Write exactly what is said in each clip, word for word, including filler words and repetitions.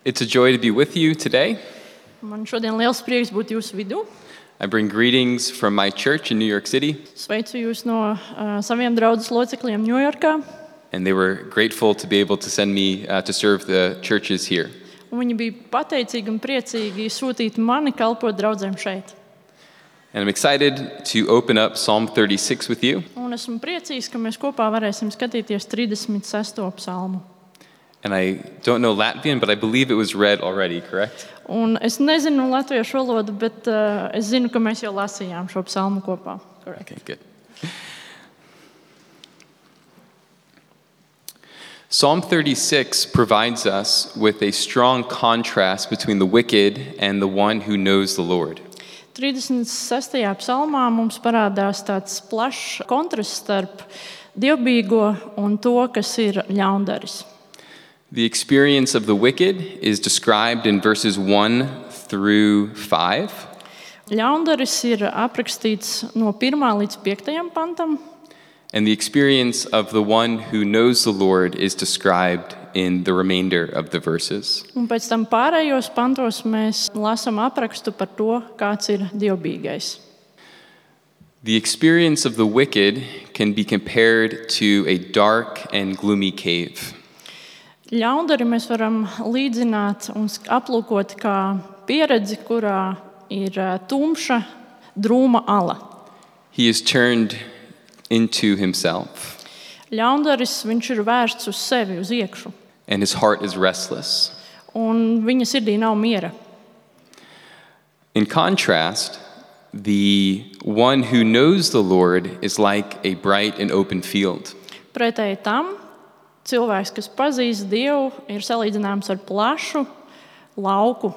It's a joy to be with you today. Man šodien liels prieks būt jūsu vidū. I bring greetings from my church in New York City, Sveicu jūs no uh, saviem draudzes locekļiem Ņujorkā. and they were grateful to be able to send me uh, to serve the churches here. Un viņi bija pateicīgi un priecīgi sūtīt mani kalpot draudzēm šeit. And I'm excited to open up Psalm thirty-six with you. Un esmu priecīgs, ka mēs kopā varēsim skatīties trīsdesmit sesto psalmu. And I don't know Latvian, but I believe it was read already, correct? Un es nezinu latviešu valodu, bet uh, es zinu, ka mēs jau lasījām šo psalmu kopā. Correct. Okay, good. Psalm thirty-six provides us with a strong contrast between the wicked and the one who knows the Lord. trīsdesmit sestajā psalmā mums parādās tāds plašs kontrasts starp dievbijīgo un to, kas ir ļaundaris. The experience of the wicked is described in verses one through five. Ļaundaris ir aprakstīts no pirmā līdz piektajam pantam, And the experience of the one who knows the Lord is described in the remainder of the verses. un pēc tam pārējos pantos mēs lasām aprakstu par to, kāds ir dievbijīgais. The experience of the wicked can be compared to a dark and gloomy cave. Ļaundari mēs varam līdzināt un aplūkot kā pieredzi, kurā ir ā, tumša, drūma ala. He is turned into himself, Ļaundaris, viņš ir vērsts uz sevi, uz iekšu, and his heart is restless. un viņa sirdī nav miera. In contrast, the one who knows the Lord is like a bright and open field. Pretēji tam, cilvēks, kas pazīst Dievu, ir salīdzināms ar plašu lauku.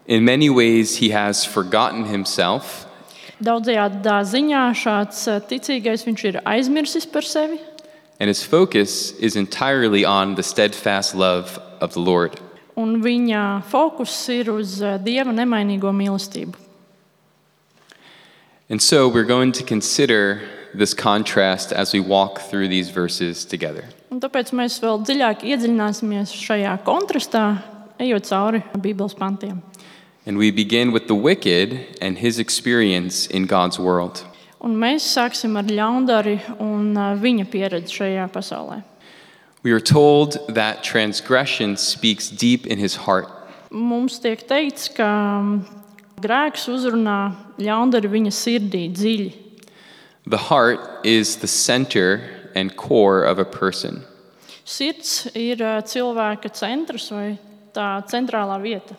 In many ways, he has forgotten himself, Daudzajādā ziņā šāds ā, ticīgais, viņš ir aizmirsis par sevi, and his focus is entirely on the steadfast love of the Lord. un viņa fokus ir uz ā, Dieva nemainīgo mīlestību. And so we're going to consider this contrast as we walk through these verses together. Un tāpēc mēs vēl dziļāk iedziļināsimies šajā kontrastā, ejot cauri Bībeles pantiem. And we begin with the wicked and his experience in God's world. Un mēs sāksim ar ļaundari un ā, viņa pieredzi šajā pasaulē. We are told that transgression speaks deep in his heart. Mums tiek teikts, ka mm, grēks uzrunā ļaundari viņa sirdī dziļi. The heart is the center and core of a person. Sirds ir ā, cilvēka centrs vai tā centrālā vieta.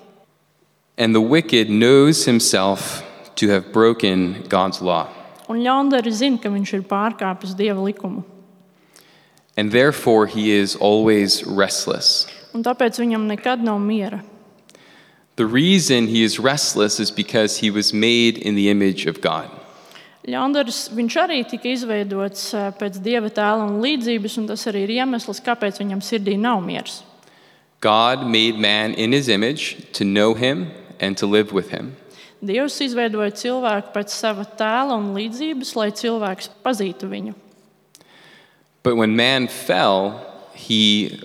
And the wicked knows himself to have broken God's law. Un ļaundari zina, ka viņš ir pārkāpis Dieva likumu. And therefore he is always restless. Un tāpēc viņam nekad nav miera. The reason he is restless is because he was made in the image of God. Ļaundaris, viņš arī tika izveidots ā, pēc Dieva tēla un līdzības, un tas arī ir iemesls, kāpēc viņam sirdī nav miers. God made man in his image to know him and to live with him. Dievs izveidoja cilvēku pēc sava tēla un līdzības, lai cilvēks pazītu viņu. But when man fell, he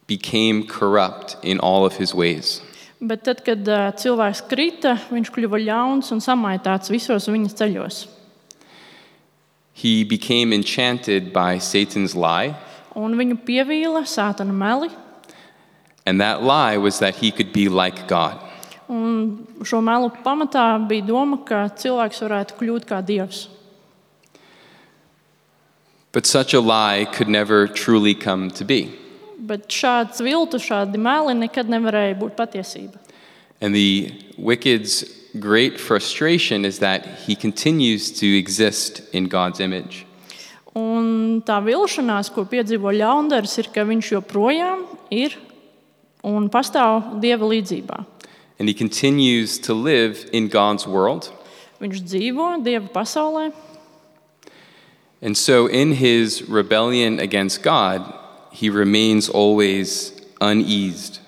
became corrupt in all of his ways. Bet tad, kad ā, cilvēks krita, viņš kļuva ļauns un samaitāts visos viņa ceļos. He became enchanted by Satan's lie, Un viņu pievīla sātana meli, and that lie was that he could be like God. un šo melu pamatā bija doma, ka cilvēks varētu kļūt kā Dievs. But such a lie could never truly come to be. Bet šāds viltu, šādi meli nekad nevarēja būt patiesība. And the wicked's great frustration is that he continues to exist in God's image. Un tā vilšanās, ko piedzīvo ļaundaris, ir, ka viņš joprojām ir un pastāv Dieva līdzībā. And he continues to live in God's world. Viņš dzīvo Dieva pasaulē, And so in his rebellion against God, he remains always uneased.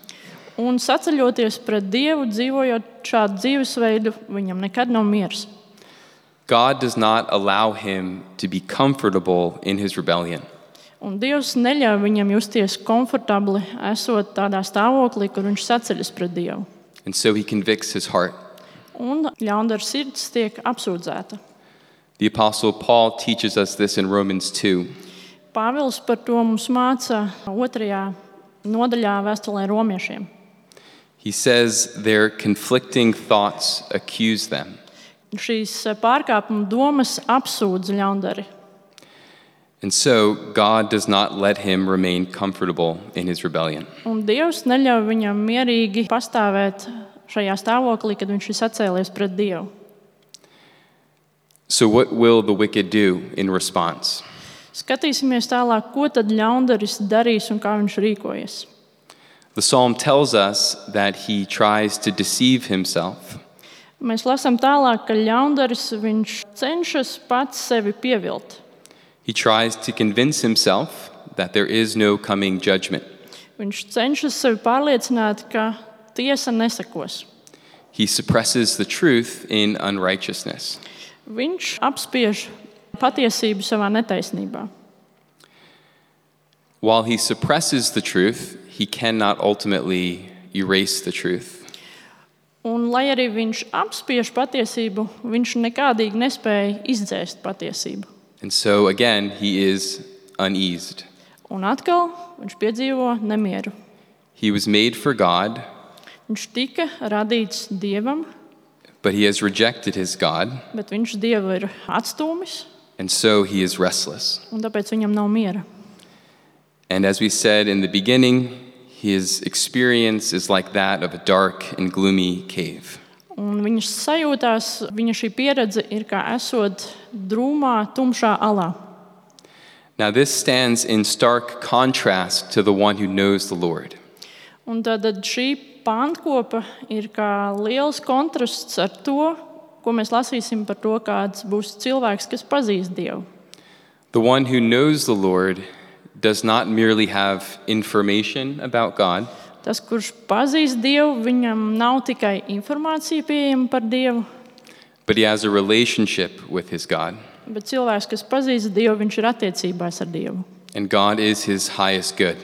un saceļoties pret Dievu, dzīvojot šādu dzīvesveidu, viņam nekad nav miers. God does not allow him to be comfortable in his rebellion. Un Dievs neļauj viņam justies komfortabli, esot tādā stāvoklī, kur viņš saceļas pret Dievu. And so he convicts his heart. Un ļaundara sirds tiek apsūdzēta. The Apostle Paul teaches us this in Romans two. Pāvils par to mums māca otrajā nodaļā vēstulē romiešiem. He says their conflicting thoughts accuse them. Šīs pārkāpuma domas apsūdz ļaundari. And so God does not let him remain comfortable in his rebellion. Un Dievs neļauj viņam mierīgi pastāvēt šajā stāvoklī, kad viņš ir sacēlies pret Dievu. So what will the wicked do in response? Skatīsimies tālāk, ko tad ļaundaris darīs un kā viņš rīkojas. The psalm tells us that he tries to deceive himself. Mēs lasām tālāk, ka ļaundaris viņš cenšas pats sevi pievilt. He tries to convince himself that there is no coming judgment. Viņš cenšas sevi pārliecināt, ka tiesa nesakos. He suppresses the truth in unrighteousness. Viņš apspiež patiesību savā netaisnībā. While he suppresses the truth, he cannot ultimately erase the truth. Un, lai arī viņš apspiež patiesību, viņš nekādīgi nespēja izdzēst patiesību. And so again, he is uneased. Un atkal viņš piedzīvo nemieru. He was made for God, Viņš tika radīts Dievam, but he has rejected his God, bet viņš Dievu ir atstūmis, and so he is restless. un tāpēc viņam nav miera. And as we said in the beginning, his experience is like that of a dark and gloomy cave. Un viņš sajūtās, viņa šī pieredze ir kā esot drūmā, tumšā alā. Now this stands in stark contrast to the one who knows the Lord. Un tad šī pantkopa ir kā liels kontrasts ar to, ko mēs lasīsim par to, kāds būs cilvēks, kas pazīst Dievu. The one who knows the Lord does not merely have information about God, Tas, kurš pazīst Dievu, viņam nav tikai informācija pieejama par Dievu, but he has a relationship with his God. bet cilvēks, kas pazīst Dievu, viņš ir attiecībās ar Dievu. And God is his highest good.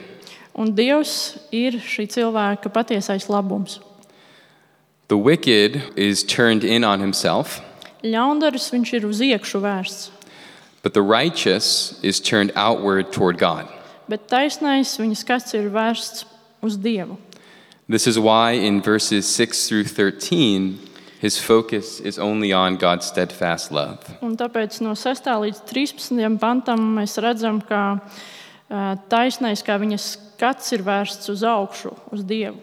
Un Dievs ir šī cilvēka patiesais labums. The wicked is turned in on himself, Ļaundaris viņš ir uz iekšu vērsts, but the righteous is turned outward toward God. bet taisnais viņa skats ir vērsts uz Dievu. This is why in verses six through thirteen, his focus is only on God's steadfast love. Un tāpēc no sestā līdz trīspadsmitajam pantam mēs redzam, ka ā, taisnais, kā viņa skats ir vērsts uz augšu, uz Dievu.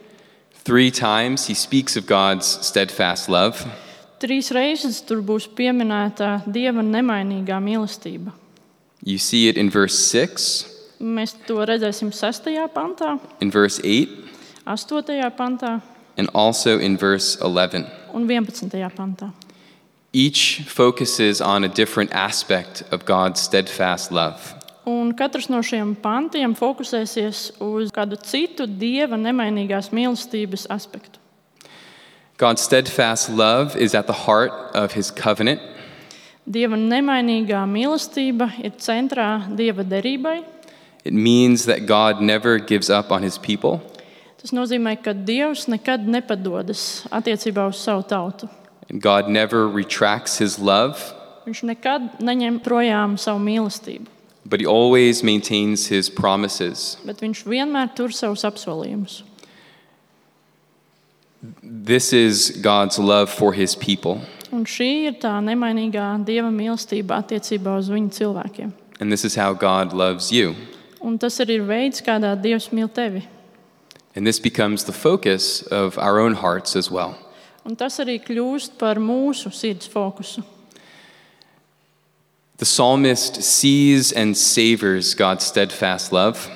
Three times he speaks of God's steadfast love. Trīs reizes tur būs pieminēta Dieva nemainīgā mīlestība. You see it in verse six, Mēs to redzēsim sestajā pantā, in verse eight, astotajā pantā and also in verse eleven. un vienpadsmitajā pantā. Each focuses on a different aspect of God's steadfast love. Un katrs no šiem pantiem fokusēsies uz kādu citu Dieva nemainīgās mīlestības aspektu. God's steadfast love is at the heart of his covenant. Dieva nemainīgā mīlestība ir centrā Dieva derībai. It means that God never gives up on his people. Tas nozīmē, ka Dievs nekad nepadodas attiecībā uz savu tautu. And God never retracts his love, Viņš nekad neņem projām savu mīlestību, but he always maintains his promises. bet viņš vienmēr tur savus apsolījumus. This is God's love for his people. Un šī ir tā nemainīgā Dieva mīlestība attiecībā uz viņu cilvēkiem. And this is how God loves you. Un tas arī ir veids, kādā Dievs mīl tevi. And this becomes the focus of our own hearts as well. Un tas arī kļūst par mūsu sirds fokusu. The psalmist sees and savors God's steadfast love.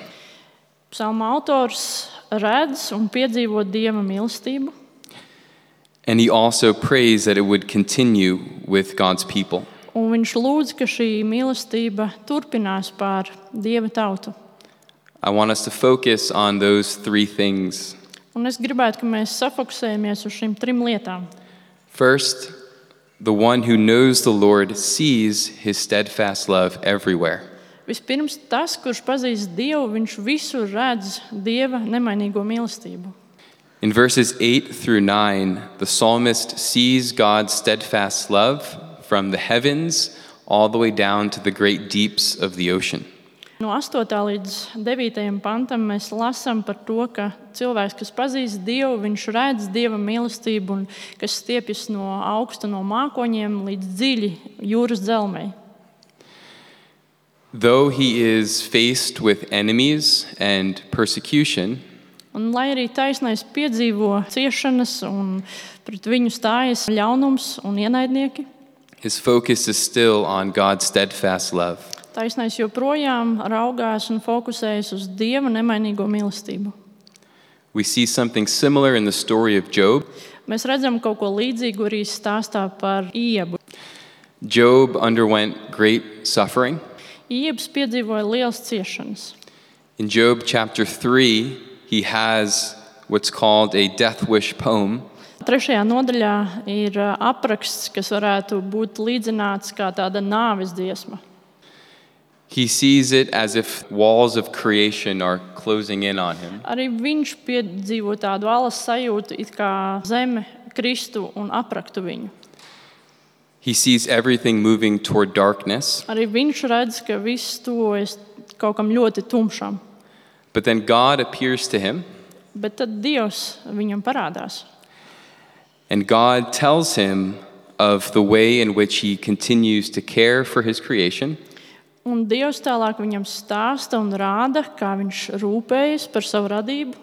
Psalma autors redz un piedzīvo Dieva mīlestību, And he also prays that it would continue with God's people. un viņš lūdz, ka šī mīlestība turpinās pār Dieva tautu. I want us to focus on those three things. Un es gribētu, ka mēs safokusējamies uz šīm trim lietām. First, the one who knows the Lord sees his steadfast love everywhere. Vispirms tas, kurš pazīst Dievu, viņš visur redz Dieva nemainīgo mīlestību. In verses eight through nine, the psalmist sees God's steadfast love from the heavens all the way down to the great deeps of the ocean. No astotā līdz devītajam pantam mēs lasām par to, ka cilvēks, kas pazīst Dievu, viņš redz Dieva mīlestību, un kas stiepjas no augsta no mākoņiem līdz dziļi jūras dzelmei. Though he is faced with enemies and persecution, Un, lai arī taisnais piedzīvo ciešanas un pret viņu stājas ļaunums un ienaidnieki, his focus is still on God's steadfast love. taisnais joprojām raugās un fokusējas uz Dieva nemainīgo mīlestību. We see something similar in the story of Job. Mēs redzam kaut ko līdzīgu arī stāstā par Iebu. Job underwent great suffering. Iebs piedzīvoja liels ciešanas. In Job chapter three, he has what's called a death wish poem. Trešajā nodaļā ir ā, apraksts, kas varētu būt līdzināts kā tāda nāves dziesma. He sees it as if walls of creation are closing in on him. Arī viņš piedzīvo tādu alas sajūtu, it kā zeme kristu un apraktu viņu. He sees everything moving toward darkness, Arī viņš redz, ka viss tuvojas kaut kam ļoti tumšam. but then God appears to him, Bet tad Dievs viņam parādās. and God tells him of the way in which he continues to care for his creation, Un Dievs tālāk viņam stāsta un rāda, kā viņš rūpējas par savu radību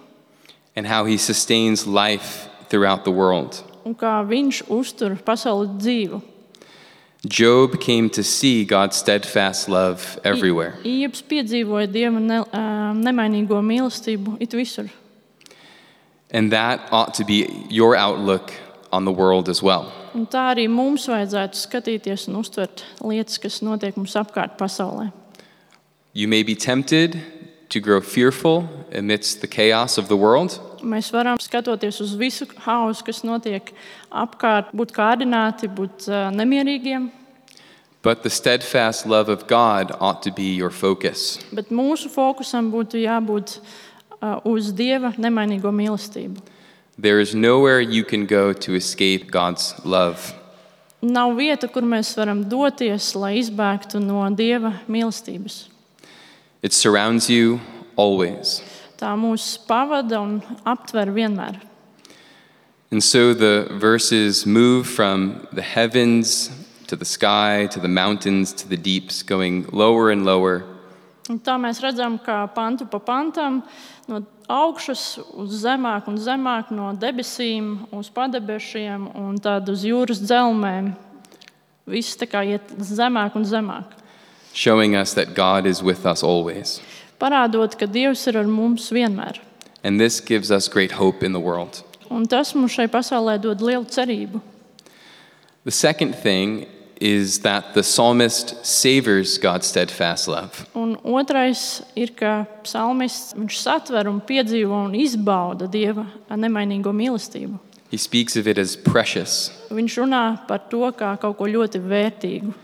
and how he sustains life throughout the world. un kā viņš uztur pasauli dzīvu. Job came to see God's steadfast love everywhere. Iebs piedzīvoja Dieva ne, ā, nemainīgo mīlestību it visur. And that ought to be your outlook on the world as well. Un tā arī mums vajadzētu skatīties un uztvert lietas, kas notiek mums apkārt pasaulē. You may be tempted to grow fearful amidst the chaos of the world, Mēs varam skatoties uz visu hausu, kas notiek apkārt, būt kārdināti, būt ā, nemierīgiem, but the steadfast love of God ought to be your focus. bet mūsu fokusam būtu jābūt ā, uz Dieva nemainīgo mīlestību. There is nowhere you can go to escape God's love. Nav vieta, kur mēs varam doties, lai izbēgtu no Dieva mīlestības. It surrounds you always. Tā mūs pavada un aptver vienmēr. And so the verses move from the heavens to the sky, to the mountains, to the deeps, going lower and lower. Un tā mēs redzam, kā pantu pa pantam, no augšas uz zemāk un zemāk, no debesīm uz padebešiem un tad uz jūras dzelmēm. Viss tā kā iet zemāk un zemāk. Showing us that God is with us always. Parādot, ka Dievs ir ar mums vienmēr. And this gives us great hope in the world. Un tas mums šai pasaulē dod lielu cerību. The second thing is that the psalmist savors God's steadfast love. Un otrais ir, ka psalmists viņš satver un piedzīvo un izbauda Dieva nemainīgo mīlestību. He speaks of it as precious. Viņš runā par to kā kaut ko ļoti vērtīgu.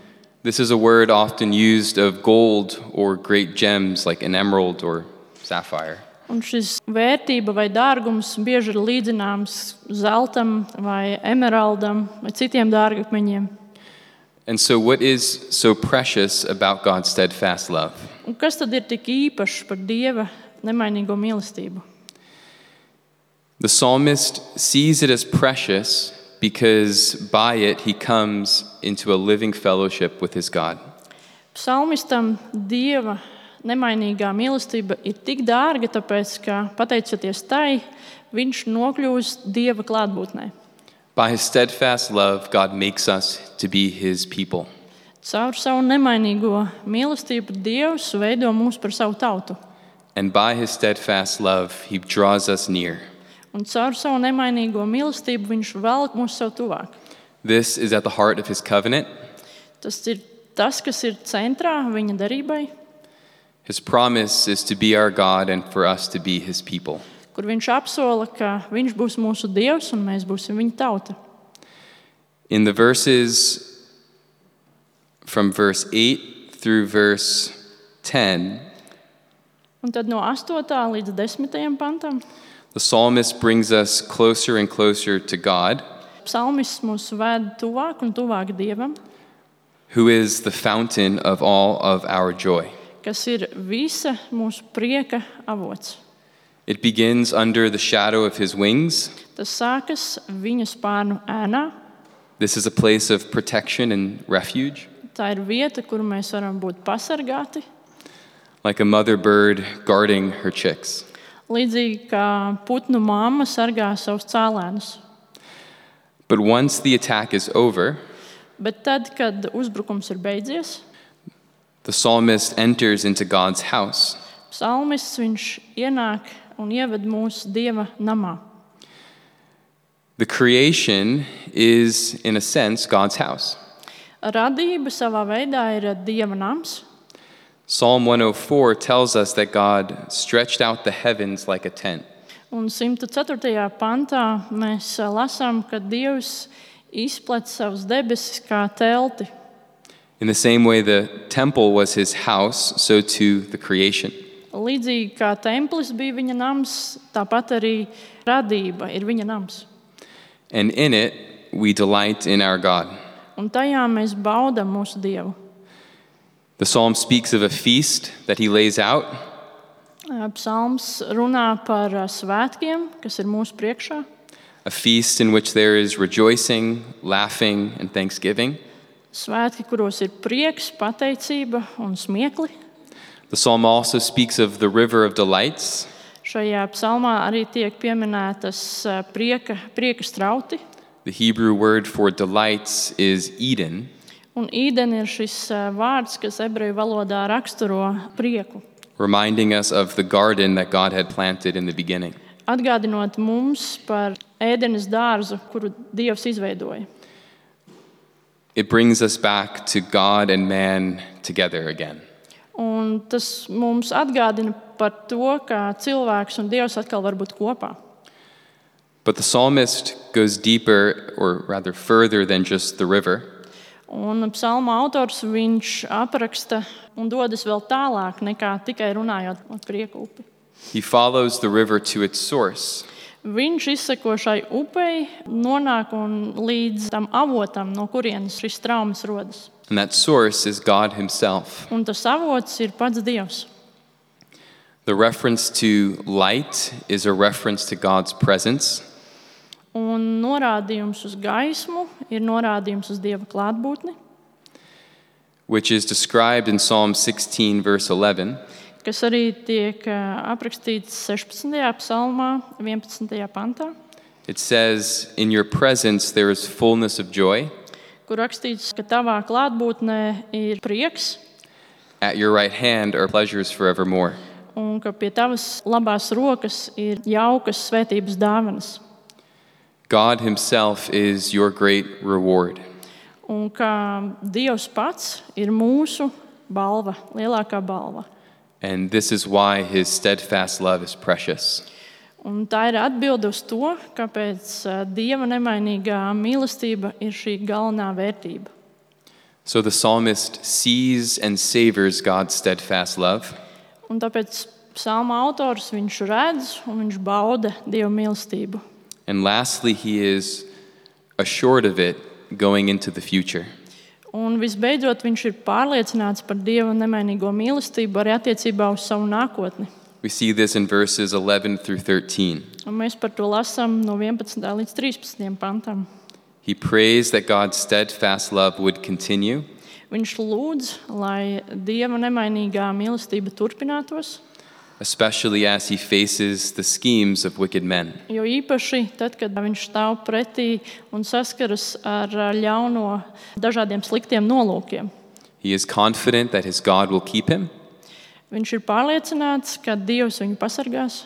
This is a word often used of gold or great gems like an emerald or sapphire. Un šis vērtība vai dārgums bieži ir līdzināms zeltam vai emeraldam vai citiem dārgakmeņiem. And so what is so precious about God's steadfast love? Un kas tad ir tik īpašs par Dieva nemainīgo mīlestību? The psalmist sees it as precious because by it he comes into a living fellowship with his God. Psalmistam Dieva nemainīgā mīlestība ir tik dārga, tāpēc, ka pateicoties tai, viņš nokļūst Dieva klātbūtnē. By his steadfast love, God makes us to be his people. Caur savu nemainīgo mīlestību Dievs veido mūs par savu tautu. And by his steadfast love, he draws us near. Un caur savu nemainīgo mīlestību viņš velk mūs sev tuvāk. This is at the heart of his covenant. Tas ir tas, kas ir centrā viņa darībai, His promise is to be our God and for us to be his people. kur viņš apsola, ka viņš būs mūsu Dievs un mēs būsim viņa tauta. In the verses from verse eight through verse ten, Un tad no astotā līdz desmitajam pantam the psalmist brings us closer and closer to God, psalmists mūs ved tuvāk un tuvāk Dievam, who is the fountain of all of our joy. kas ir visa mūsu prieka avots. It begins under the shadow of his wings. Tas sākas viņa spārnu ēnā. This is a place of protection and refuge, Tā ir vieta, kur mēs varam būt pasargāti, like a mother bird guarding her chicks. līdzīgi kā putnu mamma sargā savus cēlēnus. But once the attack is over, Bet tad, kad uzbrukums ir beidzies, the psalmist enters into God's house. psalmists viņš ienāk un ieved mūsu Dieva namā. The creation is, in a sense, God's house. Radība savā veidā ir Dieva nams. Psalm one oh four tells us that God stretched out the heavens like a tent. Un simta ceturtajā pantā mēs lasām, ka Dievs izplata savus debesis kā telti. In the same way the temple was his house, so too the creation. Līdzīgi kā templis bija viņa nams, tāpat arī radība ir viņa nams. And in it, we delight in our God. Un tajā mēs baudam mūsu Dievu. The psalm speaks of a feast that he lays out, Psalms runā par svētkiem, kas ir mūsu priekšā. a feast in which there is rejoicing, laughing, and thanksgiving. Svētki, kuros ir prieks, pateicība un smiekli. The psalm also speaks of the river of delights, Šajā psalmā arī tiek pieminētas eh, prieka, prieka strauti. the Hebrew word for delights is Eden, Un īden ir šis eh, vārds, kas ebreju valodā raksturo prieku. reminding us of the garden that God had planted in the beginning. Atgādinot mums par ēdenes dārzu, kuru Dievs izveidoja. It brings us back to God and man together again. Un tas mums atgādina par to, ka cilvēks un Dievs atkal var būt kopā. But the psalmist goes deeper, or rather further than just the river. Un psalma autors viņš apraksta un dodas vēl tālāk nekā tikai runājot par prieku upi. He follows the river to its source, Viņš izseko šai upei, nonāk un līdz tam avotam, no kurienes šis traumas rodas. and that source is God himself. Un tas avots ir pats Dievs. The reference to light is a reference to God's presence, Un norādījums uz gaismu ir norādījums uz Dieva klātbūtni, which is described in Psalm sixteen, verse eleven. kas arī tiek ā, aprakstīts sešpadsmitajā psalmā, vienpadsmitajā pantā, It says, "In your presence there is fullness of joy. kur rakstīts, ka tavā klātbūtnē ir prieks At your right hand are pleasures forevermore." un ka pie tavas labās rokas ir jaukas svētības dāvanas. God himself is your great reward. Un ka Dievs pats ir mūsu balva, lielākā balva. And this is why his steadfast love is precious. Un tā ir atbilde uz to, kāpēc ā, Dieva nemainīgā mīlestība ir šī galvenā vērtība. So the psalmist sees and savors God's steadfast love, Un tāpēc psalma autors viņš redz un viņš bauda Dieva mīlestību. and lastly, he is assured of it going into the future. Un visbeidzot, viņš ir pārliecināts par Dieva nemainīgo mīlestību arī attiecībā uz savu nākotni. We see this in verses eleven through thirteen. Un mēs par to lasām no vienpadsmitā līdz trīspadsmitajam pantam. He prays that God's steadfast love would continue, Viņš lūdz, lai Dieva nemainīgā mīlestība turpinātos, especially as he faces the schemes of wicked men. jo īpaši tad, kad viņš stāv pretī un saskaras ar ļauno dažādiem sliktiem nolūkiem. He is confident that his God will keep him, Viņš ir pārliecināts, ka Dievs viņu pasargās,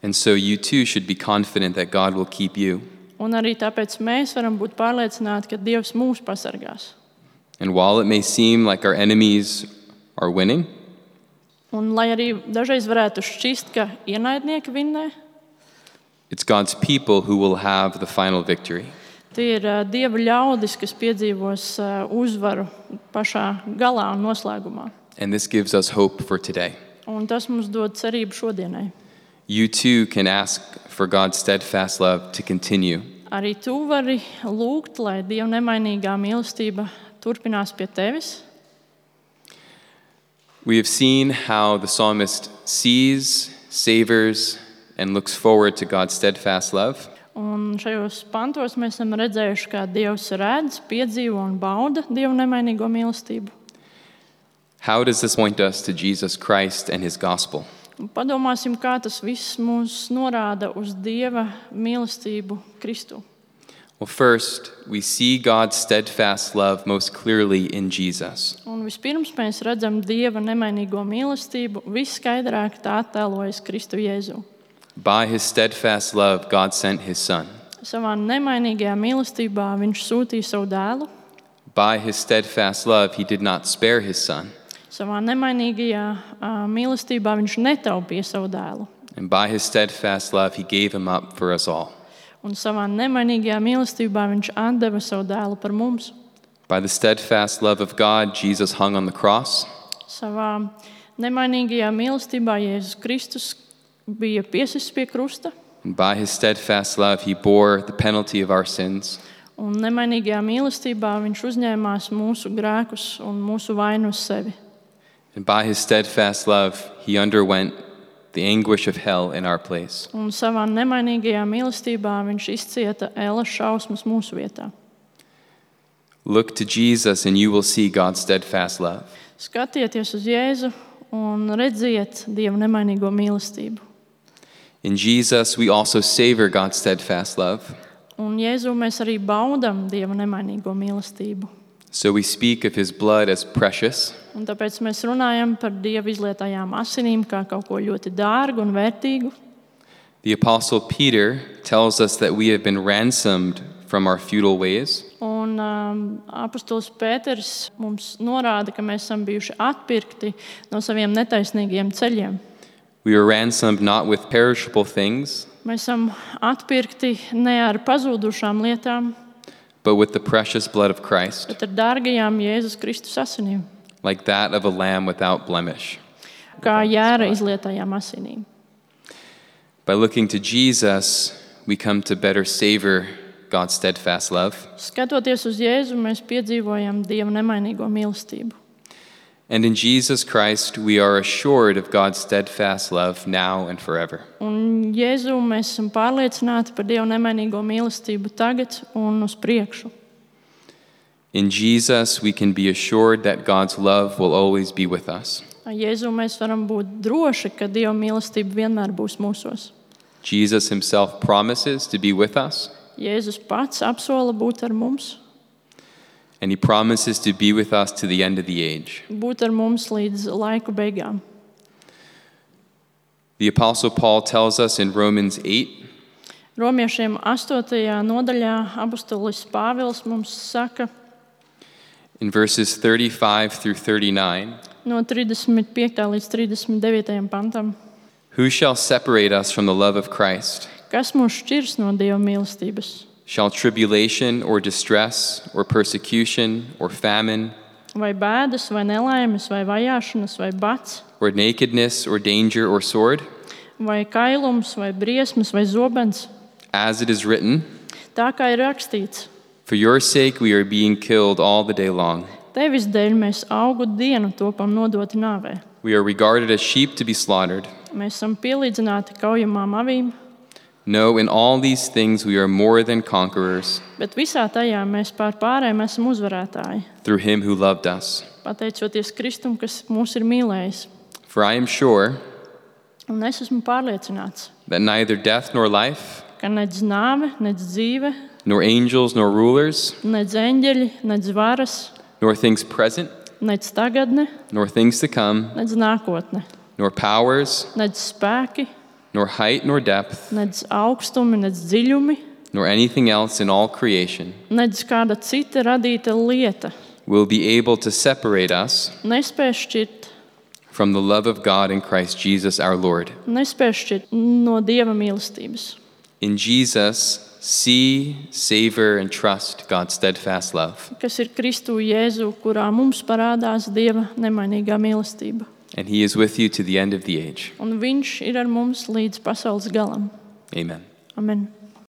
and so you too should be confident that God will keep you. un arī tāpēc mēs varam būt pārliecināti, ka Dievs mūs pasargās. And while it may seem like our enemies are winning, Un lai arī dažreiz varētu šķist, ka ienaidnieki vinnē, it's God's people who will have the final victory. tie ir ā, Dieva ļaudis, kas piedzīvos ā, uzvaru pašā galā un noslēgumā. And this gives us hope for today. Un tas mums dod cerību šodienai. You too can ask for God's steadfast love to continue. Arī tu vari lūgt, lai Dieva nemainīgā mīlestība turpinās pie tevis. We have seen how the psalmist sees, savors, and looks forward to God's steadfast love. Un šajos pantos mēs esam redzējuši, kā Dievs redz, piedzīvo un bauda Dieva nemainīgo mīlestību. How does this point us to Jesus Christ and his gospel? Un padomāsim, kā tas viss mūs norāda uz Dieva mīlestību Kristu. Well, first, we see God's steadfast love most clearly in Jesus. Un vispirms mēs redzam Dieva nemainīgo mīlestību viskaidrāk tā attēlojas Kristu Jēzu. By his steadfast love, God sent his son. Savā nemainīgajā mīlestībā viņš sūtīja savu dēlu. By his steadfast love, he did not spare his son. Savā nemainīgajā uh, mīlestībā viņš netaupīja savu dēlu. And by his steadfast love, he gave him up for us all. Un savā nemainīgajā mīlestībā viņš atdeva savu dēlu par mums. By the steadfast love of God, Jesus hung on the cross. Savā nemainīgajā mīlestībā Jēzus Kristus bija piesists pie krusta. And by his steadfast love, he bore the penalty of our sins. Un nemainīgajā mīlestībā viņš uzņēmās mūsu grēkus un mūsu vainu uz sevi. And by his steadfast love, he underwent the anguish of hell in our place. Un savā nemainīgajā mīlestībā viņš izcieta ēlas šausmas mūsu vietā. Look to Jesus and you will see God's steadfast love. Skatieties uz Jēzu un redziet Dieva nemainīgo mīlestību. In Jesus, we also savor God's steadfast love. Un Jēzu mēs arī baudam Dieva nemainīgo mīlestību. So we speak of his blood as precious. Un tāpēc mēs runājam par Dieva izlietajām asinīm kā kaut ko ļoti dārgu un vērtīgu. The Apostle Peter tells us that we have been ransomed from our futile ways. Un um, apostols Pēters mums norāda, ka mēs esam bijuši atpirkti no saviem netaisnīgiem ceļiem. We were ransomed not with perishable things, Mēs esam atpirkti ne ar pazudušām lietām, but with the precious blood of Christ, bet ar dārgajām Jēzus Kristus asinīm, like that of a lamb without blemish. kā jēra izlietajām asinīm. By looking to Jesus, we come to better savor God's steadfast love. Skatoties uz Jēzu, mēs piedzīvojam Dieva nemainīgo mīlestību. And in Jesus Christ, we are assured of God's steadfast love now and forever. Un Jēzu mēs esam pārliecināti par Dieva nemainīgo mīlestību tagad un uz priekšu. In Jesus, we can be assured that God's love will always be with us. Jēzu mēs varam būt droši, ka Dieva mīlestība vienmēr būs mūsos. Jesus himself promises to be with us, Jēzus pats apsola būt ar mums, and he promises to be with us to the end of the age. būt ar mums līdz laiku beigām. The Apostle Paul tells us in Romans eight Romiešiem astotajā nodaļā apostolis Pāvils mums saka in verses thirty-five through thirty-nine, no trīsdesmit piektajā līdz trīsdesmit devītajam pantam, who shall separate us from the love of Christ? kas mūs šķirs no Dieva mīlestības? Shall tribulation or distress or persecution or famine Vai bēdas, vai nelaimes, vai vajāšanas, vai bats, or nakedness or danger or sword? vai kailums, vai briesmas, vai zobens? As it is written, Tā kā ir rakstīts, for your sake we are being killed all the day long. tevis dēļ mēs augu dienu topam nodoti nāvē. We are regarded as sheep to be slaughtered. Mēs esam pielīdzināti kaujamām avīm, No, in all these things we are more than conquerors bet visā tajā mēs pār pārējiem esam uzvarētāji, through him who loved us. pateicoties Kristum, kas mūs ir mīlējis. For I am sure Un es esmu pārliecināts, that neither death nor life, ka nedz nāve, nedz dzīve, nor angels nor rulers, nedz eņģeļi, nedz varas, nor things present, nedz tagadne, nor things to come, nedz nākotne, nor powers, nedz spēki, nor height nor depth, nedz augstumi, nedz dziļumi, nor anything else in all creation nedz kāda cita radīta lieta will be able to separate us nespēj šķirt, from the love of God in Christ Jesus our Lord. nespēj šķirt no Dieva mīlestības. In Jesus, see, savor, and trust God's steadfast love. kas ir Kristu Jēzu, kurā mums parādās Dieva nemainīgā mīlestība. And he is with you to the end of the age. Un viņš ir ar mums līdz pasaules galam. Amen. Amen.